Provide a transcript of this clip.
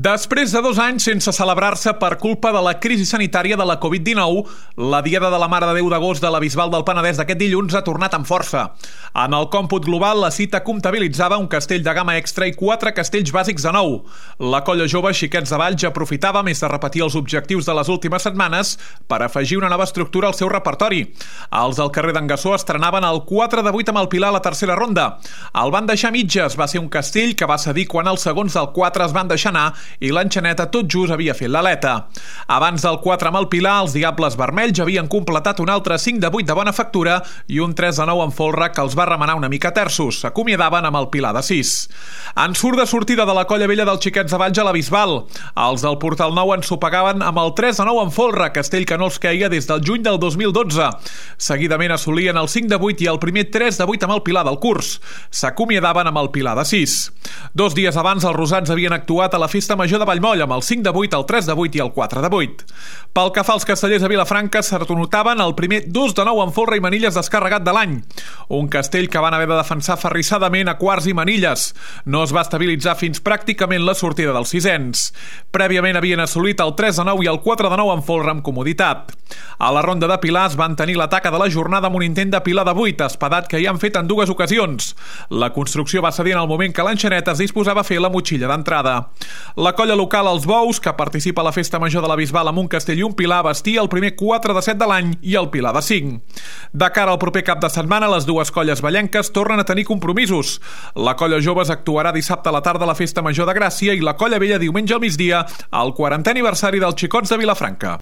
Després de 2 anys sense celebrar-se per culpa de la crisi sanitària de la Covid-19, la Diada de la Mare de Déu d'agost de la Bisbal del Penedès d'aquest dilluns ha tornat amb força. En el còmput global, la cita comptabilitzava un castell de gamma extra i 4 castells bàsics de nou. La colla jove Xiquets de Valls aprofitava, més de repetir els objectius de les últimes setmanes, per afegir una nova estructura al seu repertori. Els del carrer d'en Gassó estrenaven el 4 de 8 amb el Pilar a la tercera ronda. El van deixar mitges, va ser un castell que va cedir quan els segons del 4 es van deixar anar i l'enxaneta tot just havia fet l'aleta. Abans del 4 amb el Pilar, els Diables Vermells havien completat un altre 5 de 8 de bona factura i un 3 de 9 amb folre que els va remenar una mica terços. S'acomiadaven amb el Pilar de 6. En surt de sortida de la colla vella dels Xiquets de Valls a la Bisbal. Els del Portal Nou ensopegaven amb el 3 de 9 amb folre, castell que no els queia des del juny del 2012. Seguidament assolien el 5 de 8 i el primer 3 de 8 amb el Pilar del curs. S'acomiadaven amb el Pilar de 6. 2 dies abans, els rosats havien actuat a la Festa Major de Vallmoll amb el 5 de 8, el 3 de 8 i el 4 de 8. Pel que fa als castellers de Vilafranca, s'anotaven el primer 2 de 9 amb folre i manilles descarregat de l'any. Un castell que van haver de defensar ferrissadament a quarts i manilles. No es va estabilitzar fins pràcticament la sortida dels sisens. Prèviament havien assolit el 3 de 9 i el 4 de 9 amb folre amb comoditat. A la ronda de pilars van tenir l'ataca de la jornada amb un intent de pilar de 8, espadat que hi han fet en 2 ocasions. La construcció va cedir en el moment que l'enxaneta es disposava a fer la motxilla d'entrada. La colla local Els Bous, que participa a la Festa Major de la Bisbal amb un castell i un pilar, vestia el primer 4 de 7 de l'any i el Pilar de 5. De cara al proper cap de setmana, les dues colles vallenques tornen a tenir compromisos. La colla joves actuarà dissabte a la tarda a la Festa Major de Gràcia i la colla vella diumenge al migdia al 40è aniversari dels Xicots de Vilafranca.